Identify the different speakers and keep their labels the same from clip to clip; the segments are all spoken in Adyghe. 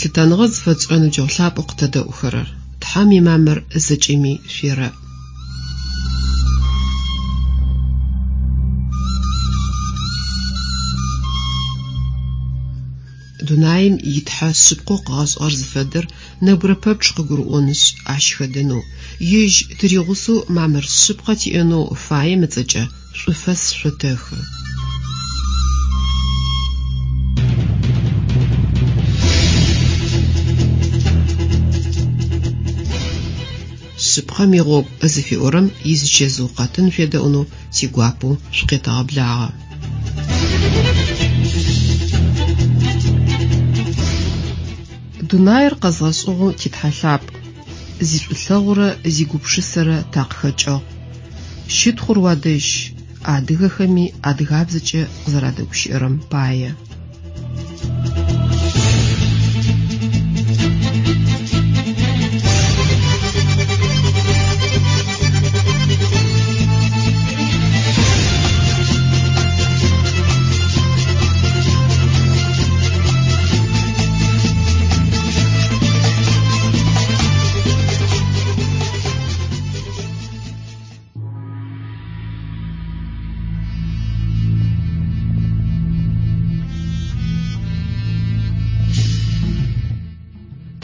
Speaker 1: Лъытэныгъэ зыфэтшӏырэ ныбджэгъу лъапӏэу къытэдэӏухэрэр! Тхьэм имамыр зэкӏэми шъуерэӏ! Дунаим и Тхьэ шъыпкъэу къыгъэшӏыгъэр зыфэдэр нэбгырэ пэпчъ къыгурыӏонышъ, ащ хэдэнэу, Ежь тыригъусэу мамыр шъыпкъэ тиӏэнэу фаем ыцӏэкӏэ шӏуфэс шъотэхы. Шъыпкъэм игъогу зыфиӏорэм изичэзыу къэтын шъуедэӏунэу тигуапэу шъукъетэгъэблагъэ. Дунаир къэзгъэшӏыгъэу ти Тхьэ лъапӏ, зишӏулъэгъурэ зигупшысэрэ такъыхэкӏыгъ. Щытхъур уадэжь, адыгэхэми адыгабзэкӏэ къызэрадэгущыӏэрэм пае.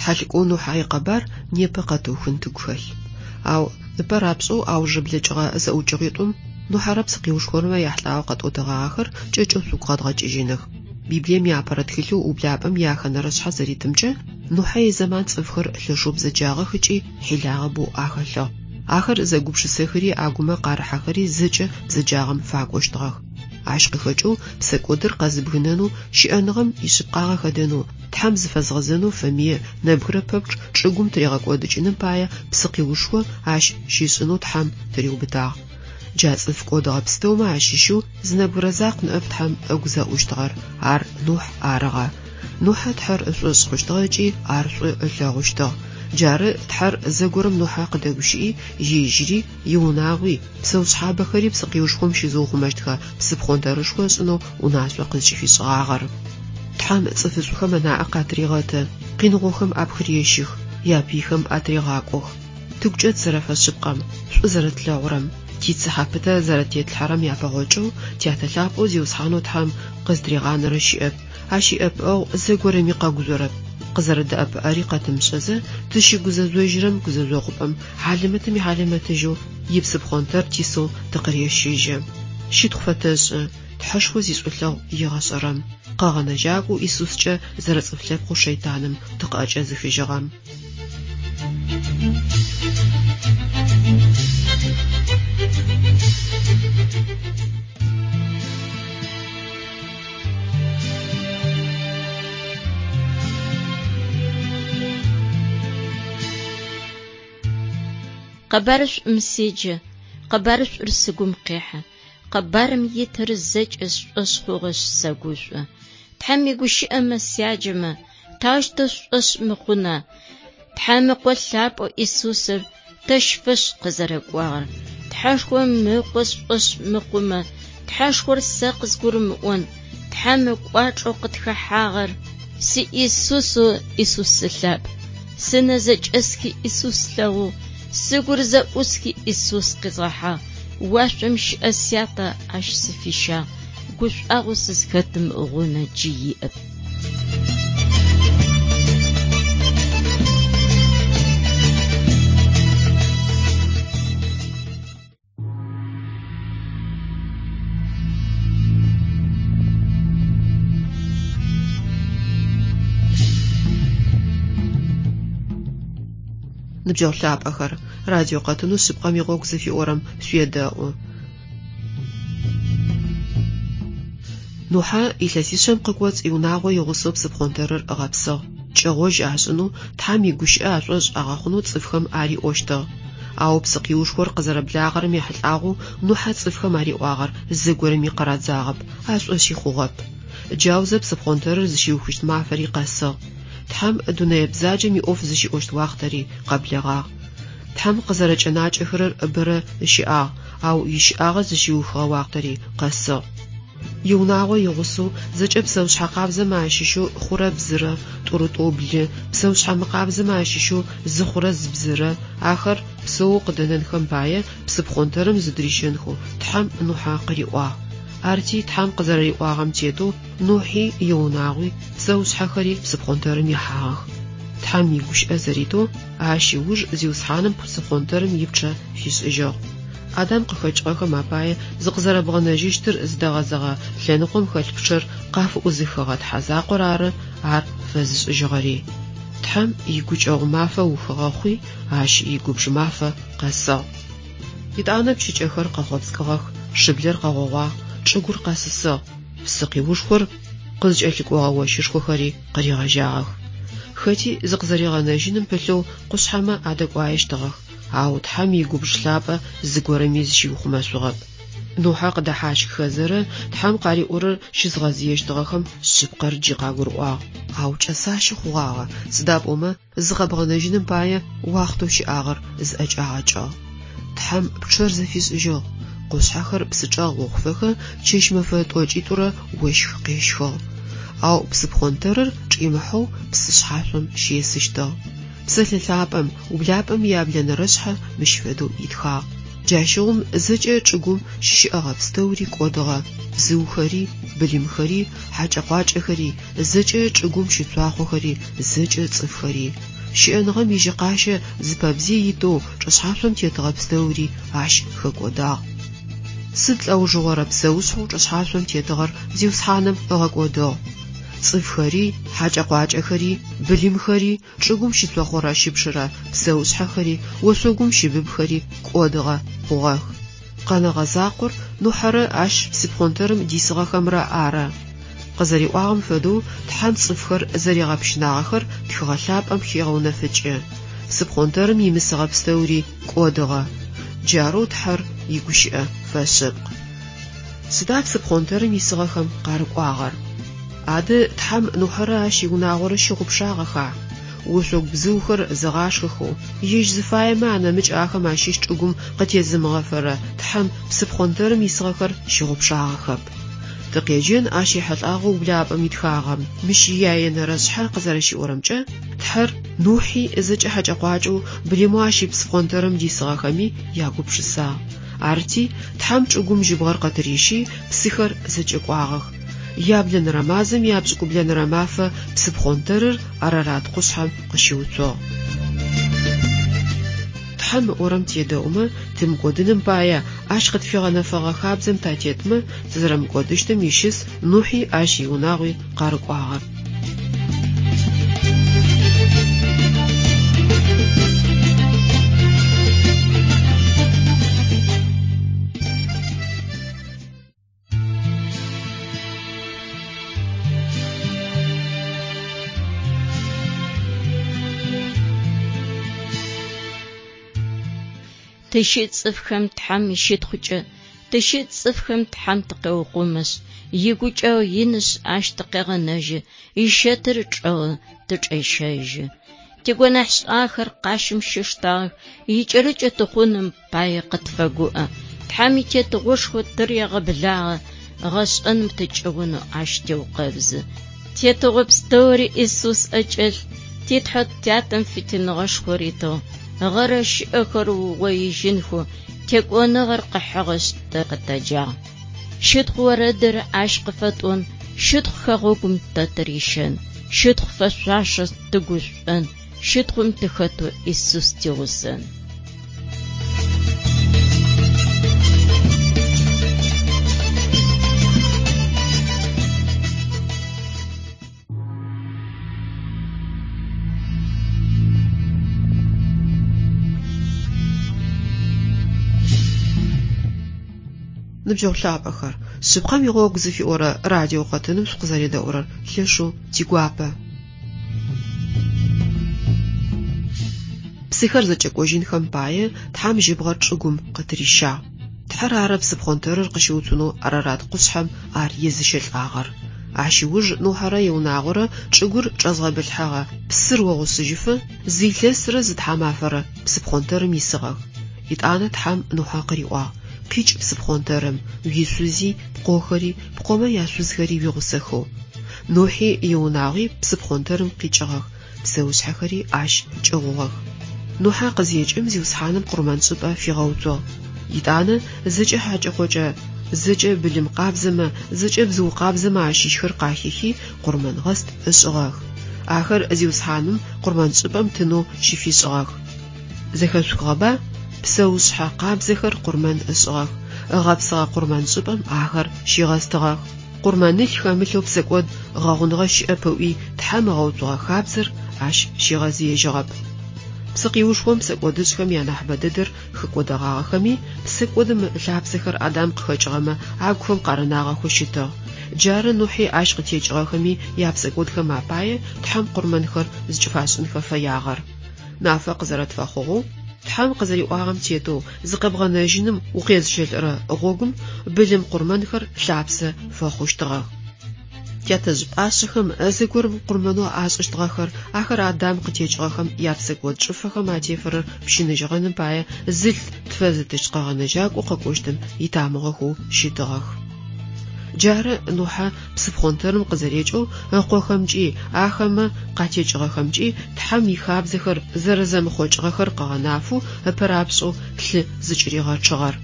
Speaker 1: Тхьэлӏыкӏоу Нухьэ икъэбар непэ къэтыухын тыгу хэлъ. Ау ыпэ рапшӏэу аужырэ блэкӏыгъэ зэӏукӏэгъитӏум Нухьэрэ псыкъиушхомрэ яхьылӏагъэу къэтӏотэгъагъэхэр кӏэкӏэу шъугу къэдгъэкӏыжьыных. Библием иапэрэ тхылъэу Ублапӏэм ияхэнэрэ шъхьэ зэритымкӏэ, Нухьэ изэман цӏыфхэр лъэшэу бзэджагъэх ыкӏи хьилагъэ бэу ахэлъыгъ. Ахэр зэгупшысэхэри агумэ къарыхьэхэри зэкӏэ бзэджагъэм факӏощтыгъэх. Ащ къыхэкӏэу псэкӏодыр къэзыбгынэнэу, щыӏэныгъэм ишъыпкъагъэ хэдэнэу, Тхьэм зыфэзгъэзэнэу фэмые нэбгырэ пэпчъ чӏыгум тыригъэкӏодыкӏыным пае псыкъиушхо ащ щишӏынэу Тхьэм тыриубытагъ. Джа цӏыф кӏодыгъэ пстэумэ ащыщэу зы нэбгырэ закъу ныӏэп Тхьэм ыгу зэӏущтыгъэр, ар Нухь арыгъэ. Нухьэ Тхьэр ышӏошъ хъущтыгъэ ыкӏи ар шӏу ылъэгъущтыгъ. Джары Тхьэр зэгорэм Нухьэ къыдэгущыӏи, ежьыри, иунагъуи, псэушъхьабэхэри псыкъиушхом щызыухъумэщтхэ псыпхъонтэрышхо ышӏынэу унашъо къызкӏыфишӏыгъагъэр. Тхьэм цӏыфышӏухэм ынаӏэ къатырегъэты, къиныгъохэм апхырещых, япыйхэм атырегъакӏох. Тыгукӏэ тызэрэфэшъыпкъэм, шӏу зэрэтлъэгъурэм, тицыхьэ пытэ зэрэтетлъхьэрэм япэгъокӏэу Тятэ Лъапӏэу Зиусхьанэу Тхьэм къызтыригъанэрэ щыӏэп, Ащ иӏэпыӏэгъу зэгорэми къэгужъорэп, къызэрэдэӏэпыӏэри къэтымышӏэзэ, тыщыгузэжъожьырэм гузэжъогъупӏэм хьалэмэтым ихьалэмэтыжьэу ипсыпхъонтэр тисэу тыкъырещыжьы. Щытхъу фэтэшӏы, Тхьэшхо зишӏулъэгъу егъэшӏэрэм, Къэгъэнэжьакӏоу Исускӏэ зэрэцӏыф лъэпкъэу шэйтаным тыкъыӏэкӏэзыхыжьыгъэм.
Speaker 2: Къэбарышӏум седжэ, къэбарышӏур сыгум къехьэ, къэбарым итыр зэкӏэ сшӏошъ хъугъэшъ сэгушӏо. Тхьэм игущыӏэмэ сяджэмэ, таущтэу сшӏошъ мыхъуна? Тхьэм Ыкъо лъапӏэу Исусыр тэщ фэшӏ къызэрэкӏуагъэр. Тхьэшхом Ыкъо сшӏошъ мыхъумэ, Тхьэшхор сэ къызгурымыӏон, Тхьэм ыкӏуачӏэу къытхэхьагъэр. Си Исусэу Исус сылъапӏ, сынэ зэкӏэсхи Исус слъэгъугъ, сыгур зэӏусхи Исус къизгъэхьагъ, уашъом щыӏэ Сятэ ащ сыфищагъ, гушӏуагъоу сызхэтым гъунэ джы иӏэп.
Speaker 1: Ныбджэгъу лъапӏэхэр, радио къэтынэу Шъыпкъэм игъогу зыфиӏорэм шъуедэӏу. Нухьэ илъэсишъэм къыкӏоцӏ иунагъо игъусэу псыпхъонтэрыр ыгъэпсыгъ. Кӏэгъожь ашӏынэу, Тхьэм игущыӏэ ашӏошъ агъэхъунэу цӏыфхэм ариӏощтыгъ. Ау псыкъиушхор къызэрэблагъэрэм ехьылӏагъэу Нухьэ цӏыфхэм ариӏуагъэр зыгорэми къырадзагъэп, ашӏошъи хъугъэп. Джаузэ псыпхъонтэрыр зыщиухыщт мафэри къэсыгъ. Тхьэм дунэе бзаджэм иӏоф зыщиӏощт уахътэри къэблэгъагъ. Тхьэм къызэрэкӏэнакӏэхэрэр бэрэ ыщыӏагъ, ау ищыӏагъэ зыщиухыгъэ уахътэри къэсыгъ. Иунагъо игъусэу зэкӏэ псэушъхьэ къабзэмэ ащыщэу хъурэ бзырэ, тӏурытӏоу блы, псэушъхьэ мыкъабзэмэ ащыщэу зы хъурэ зы бзырэ, ахэр псэоу къыдэнэнхэм пае псыпхъонтэрым зыдырищэнхэу Тхьэм Нухьэ къыриӏуагъ. Арти Тхьэм къызэрэриӏуагъэм тетэу Нухьи иунагъуи псэушъхьэхэри псыпхъонтэрым ихьагъэх. Тхьэм игущыӏэ зэритэу ащ ыуж Зиусхьаным псыпхъонтэрым ипчъэ фишӏыжьыгъ. Адам къыхэкӏыгъэхэм апае зыкъызэрэбгъэнэжьыщтыр зыдэгъэзэгъэ лъэныкъом хэлъ пчъэр къафыӏузыхыгъэ Тхьэ закъор ары ар фэзышӏыжьыгъэри. Тхьэм игукӏэгъу мафэ ухыгъэ хъуи, ащ игубж мафэ къэсыгъ. Етӏанэ пчыкӏэхэр къэхъопскӏыгъэх, шыблэр къэгъогъуагъ, чӏыгур къэсысыгъ, псыкъиушхор къызкӏэлъыкӏогъэ ощышхохэри къыригъэжьагъэх. Хэти зыкъызэригъэнэжьыным пылъэу къушъхьэмэ адэкӏуаещтыгъэх, ау Тхьэм игубж лъапӏэ зыгорэми зыщиухъумэшъугъэп. Нухьэ къыдэхьащххэзэрэ Тхьэм къариӏорэр щызгъэзыещтыгъэхэм шъыпкъэр джы къагурыӏуагъ. Ау кӏэсащэ хъугъагъэ, сыда пӏомэ зыкъэбгъэнэжьыным пае уахътэу щыӏагъэр зыӏэкӏагъэкӏыгъ. Тхьэм пчъэр зэфишӏыжьыгъ, къушъхьэхэр псычӏэгъ охъуфэхэ чэщ-мэфэ тӏокӏитӏурэ ощх къещхыгъ. Ау псыпхъонтэрыр чӏимыхьэу псы шъхьашъом щесыщтыгъ. Псэлъэ лъапӏэм, ублапӏэм яблэнэрэшъхьэ мыщ фэдэу итхагъ. Джащыгъум зэкӏэ чӏыгум щыщыӏэгъэ пстэури кӏодыгъэ, бзыухэри, былымхэри, хьакӏэ-къуакӏэхэри, зэкӏэ чӏыгум щыцуахъохэри, зэкӏэ цӏыфхэри. Щыӏэныгъэм ижьыкъащэ зыпэбзый итэу чӏышъхьашъом тетыгъэ пстэури ащ хэкӏодагъ. Сыд лӏэужыгъорэ псэушъхьэу чӏышъхьашъом тетыгъэр Зиусхьаным ыгъэкӏодыгъ. Цӏыфхэри, хьакӏэ-къуакӏэхэри, былымхэри, чӏыгум щыцохъорэ щыпшырэ псэушъхьэхэри, ошъогум щыбыбхэри кӏодыгъэ хъугъэх. Къэнэгъэ закъор Нухьэрэ ащ псыпхъонтэрым дисыгъэхэмрэ ары. Къызэриӏуагъэм фэдэу Тхьэм цӏыфхэр зэригъэпщынагъэхэр Тхыгъэ Лъапӏэм хегъэунэфыкӏы. Псыпхъонтэрым имысыгъэ пстэури кӏодыгъэ. Джарэу Тхьэр игущыӏэ фэшъыпкъ. Сыда псыпхъонтэрым исыгъэхэм къарыкӏуагъэр? Адэ Тхьэм Нухьэрэ ащ иунагъорэ щыгъупшагъэха? Ошъогу бзыухэр зыгъашхэхэу, ежь зыфаемэ анэмыкӏ ахэм ащыщ чӏыгум къытезымыгъэфэрэ Тхьэм псыпхъонтэрым исыгъэхэр щыгъупшагъэхэп. Тыкъеджэн ащ ехьылӏагъэу ублапӏэм итхагъэм. Мыщ ияенэрэ шъхьэ къызэрэщиӏорэмкӏэ, Тхьэр Нухьи зэкӏэ хьакӏэ-къуакӏэу былымэу ащ ипсыпхъонтэрым дисыгъэхэми ягупшысагъ. Арти, Тхьэм чӏыгум жьыбгъэр къытырищи, псыхэр зэкӏэкӏуагъэх. Яблэнэрэ мазэм япшӏыкӏублэнэрэ мафэ псыпхъонтэрыр Арарат къушъхьэм къыщыуцугъ. Тхьэм ыӏорэм тедэӏумэ, тымыкӏодыным пае, Ащ къытфигъэнэфэгъэ хабзэм татетмэ, тызэрэмыкӏодыщтым ищыс Нухьи ащ иунагъуи къарыкӏуагъэр.
Speaker 2: Тыщыт цӏыфхэм Тхьэм ищытхъукӏэ, тыщыт цӏыфхэм Тхьэм тыкъеухъумэшъ, игукӏэгъу инышъ ащ тыкъегъэнэжьы, ищэтыр чӏэгъы тычӏещэжьы. Тигонахьшӏагъэхэр къащым щиштагъэх, икӏэрыкӏэ тыхъуным пае къытфэгуӏэ. Тхьэм итетыгъошхо тырегъэблагъэ, гъэшӏэным тыкӏыгъунэу ащ теукъэбзы. Тетыгъо пстэури Исус ӏэкӏэлъ, ти Тхьэ Тятэм фитыныгъэшхо ритыгъ, гъэрэ щыӏэхэр ыугъоижьынхэу, текӏоныгъэр къыхьыгъэшъ тэ къытэджагъ. Щытхъу орэдыр ащ къыфэтӏон, щытхъу хэгъэгум тэ тырищэн, щытхъу фэшъуашэ тыгушӏон, щытхъум тыхэтэу Исус тигъусэн.
Speaker 1: Ныбджэгъу лъапӏэхэр, Шъыпкъэм игъогу зыфиӏорэ радио къэтыным шъукъызэредэӏурэр лъэшэу тигуапэ. Псыхэр зэкӏэкӏожьынхэм пае Тхьэм жьыбгъэр чӏыгум къытырищагъ. Тхьэр ары псыпхъонтэрыр къыщыуцунэу Арарат къушъхьэм ар езыщэлӏагъэр. Ащ ыуж Нухьэрэ иунагъорэ чӏыгур чӏэзгъэбылъхьэгъэ псыр огъусыжьыфэ зы илъэсрэ зы тхьамафэрэ псыпхъонтэрым исыгъэх. Етӏанэ Тхьэм Нухьэ къыриӏуагъ. Къикӏ псыпхъонтэрым, уишъузи, пкъохэри, пкъомэ яшъузхэри уигъусэхэу. Нухьи иунагъуи псыпхъонтэрым къикӏыгъэх, псэушъхьэхэри ащ кӏыгъугъэх. Нухьэ къызекӏым Зиусхьаным къурмэншӏыпӏэ фигъэуцугъ. Етӏанэ зэкӏэ хьакӏэ-къокӏэ, зэкӏэ былым къабзэмэ, зэкӏэ бзыу къабзэмэ ащыщхэр къахихи, къурмэнгъэст ышӏыгъэх. Ахэр Зиусхьаным къурмэншӏыпӏэм тынэу щыфишӏыгъэх. Зэхэшъухыгъэба? Псэушъхьэ къабзэхэр къурмэн ышӏыгъэх, ыгъэпсыгъэ къурмэншӏыпӏэм ахэр щигъэстыгъэх. Къурмэнылъ хэмылъэу псэкӏод гъэгъуныгъэ щыӏэп ыӏуи Тхьэм ыгъэуцугъэ хабзэр ащ щигъэзыежьыгъэп. Псыкъиушхом псэкӏодышӏхэм янахьыбэ дэдэр хэкӏодэгъагъэхэми, псэкӏодым ылъапсэхэр Адам къыхэкӏыгъэмэ агухэм къарынагъэхэу щытыгъ. Джары Нухьи ащ къытекӏыгъэхэми япсэкӏодхэм апае Тхьэм къурмэнхэр зыкӏыфашӏынхэ фэягъэр. Нафэ къызэрэтфэхъугъэу, Тхьэм къызэриӏуагъэм тетэу зыкъэбгъэнэжьыным укъезыщэлӏэрэ гъогум былым къурмэнхэр лъапсэ фэхъущтыгъэх. Тятэжъ пӏашъэхэм зэгорэм къурмэнэу ашӏыщтыгъэхэр, ахэр Адам къытекӏыгъэхэм япсэкӏод чӏыфэхэм атефэрэр пщыныжьыгъэным пае зылъ тфэзытыщт Къэгъэнэжьакӏоу къэкӏощтым итамыгъэхэу щытыгъэх. Джары Нухьэ псыпхъонтэрым къызэрекӏэу ыкъохэмкӏи, ахэмэ къатекӏыгъэхэмкӏи Тхьэм ихабзэхэр зэрэзэмыхъокӏыгъэхэр къыгъэнафэу ыпэрапшӏэу лъы зыкӏыригъэчъыгъэр.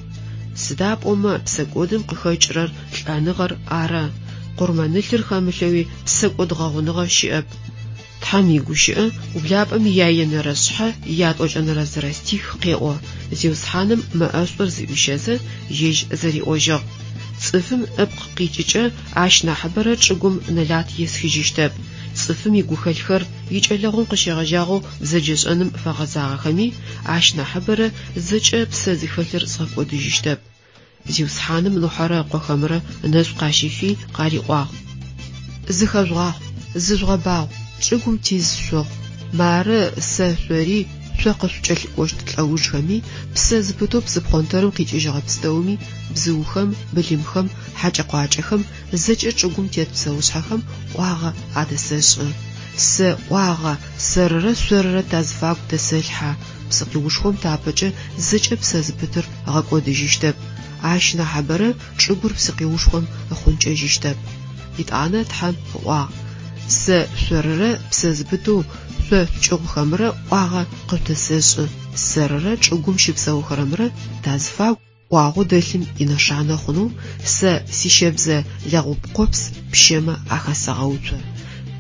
Speaker 1: Сыда пӏомэ псэкӏодым къыхэкӏырэр лӏэныгъэр ары, къурмэнылъыр хэмылъэуи псэкӏод гъэгъуныгъэ щыӏэп. Тхьэм игущыӏэ ублапӏэм ияенэрэ шъхьэ ятӏокӏэнэрэ зырэ стих къеӏо, Зиусхьаным мэ ӏэшӏур зыӏуищэзэ, ежь зэриӏожьыгъ, Цӏыфым ыпкъ къикӏыкӏэ ащ нахьыбэрэ чӏыгум нэлат есхыжьыщтэп. Цӏыфым игухэлъхэр икӏэлэгъум къыщегъэжьагъэу бзэджэшӏэным фэгъэзагъэхэми, ащ нахьыбэрэ зэкӏэ псэ зыхэлъыр згъэкӏодыжьыщтэп. Зиусхьаным Нухьэрэ ыкъохэмрэ ынэшӏу къащифи, къариӏуагъ, Зыхэжъугъахъу, зыжъугъэбагъу, чӏыгум тиз шъухъу. Мары сэ шъори, шъо къышъукӏэлъыкӏощт лӏэужхэми, псэ зыпытэу псыпхъонтэрым къикӏыжьыгъэ пстэуми, бзыухэм, былымхэм, хьакӏэ-къуакӏэхэм, зэкӏэ чӏыгум тет псэушъхьэхэм ӏуагъэ адэсэшӏы. Сэ ӏуагъэ, сэрырэ шъорырэ тазыфагу дэсэлъхьэ, псыкъиушхом тапэкӏэ зэкӏэ псэ зыпытыр ыгъэкӏодыжьыщтэп, ащ нахьыбэрэ чӏыгур псыкъиушхом ыхъункӏэжьыщтэп. Етӏанэ Тхьэм ыӏуагъ, Сэ шъорырэ псэ зыпытэу шъо шъукӏыгъухэмрэ ӏуагъэ къыжъудэсэшӏы, сэрырэ чӏыгум щыпсэухэрэмрэ тазыфагу ӏуагъэу дэлъым инэшанэ хъунэу сэ сищэбзэ лэгъупкъопс пщэмэ ахэсэгъэуцо.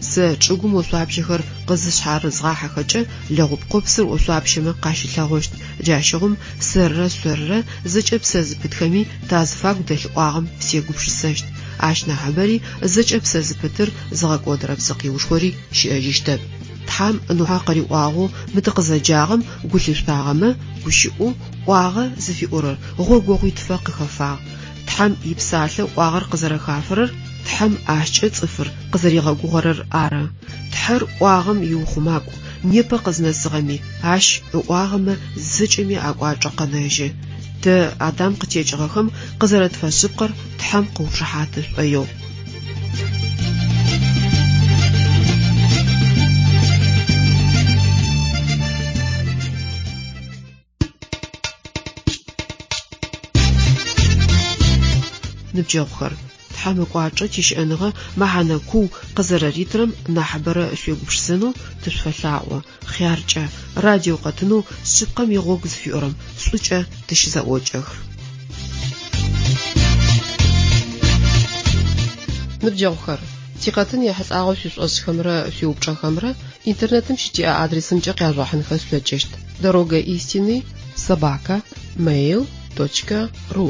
Speaker 1: Сэ чӏыгум ошъуапщэхэр къызышъхьарызгъахьэхэкӏэ, лэгъупкъопсыр ошъуапщэмэ къащылъэгъощт, джащыгъум сэрырэ шъорырэ зэкӏэ псэ зыпытхэми тазыфагу дэлъ ӏуагъэм сегупшысэщт, ащ нахьыбэри зэкӏэ псэ зыпытыр зыгъэкӏодырэ псыкъиушхори щыӏэжьыщтэп. Тхьэм Нухьэ къыриӏуагъэу мы тыкъызэджагъэм гу лъышъутагъэмэ, гущыӏэу ӏуагъэ зыфиӏорэр гъогогъуитфэ къыхэфагъ. Тхьэм ипсалъэ ӏуагъэр къызэрэхафэрэр Тхьэм ащкӏэ цӏыфыр къызэригъэгугъэрэр ары. Тхьэр ӏуагъэм иухъумакӏу, непэ къызнэсыгъэми, ащ ыӏуагъэмэ зэкӏэми акӏуачӏэ къэнэжьы. Тэ, Адам къытекӏыгъэхэм, къызэрэтфэшъыпкъэр Тхьэм къыушыхьаты шӏоигъу. Ныбджэгъухэр, Тхьэм ыкӏуачӏэ тищыӏэныгъэ мэхьанэ куу къызэрэритырэм нахьыбэрэ шъуегупшысэнэу тышъуфэлъаӏо, хъяркӏэ, радио къэтынэу Шъыпкъэм игъогу зыфиӏорэм шӏукӏэ тыщызэӏокӏэх. Ныбджэгъухэр, тикъэтын ехьылӏагъэу шъуишӏошӏхэмрэ шъуиупчӏэхэмрэ интернетым щытиӏэ адресымкӏэ къяжъугъэхьынхэ шъулъэкӏыщт: Дорога истины собака mail точка ру.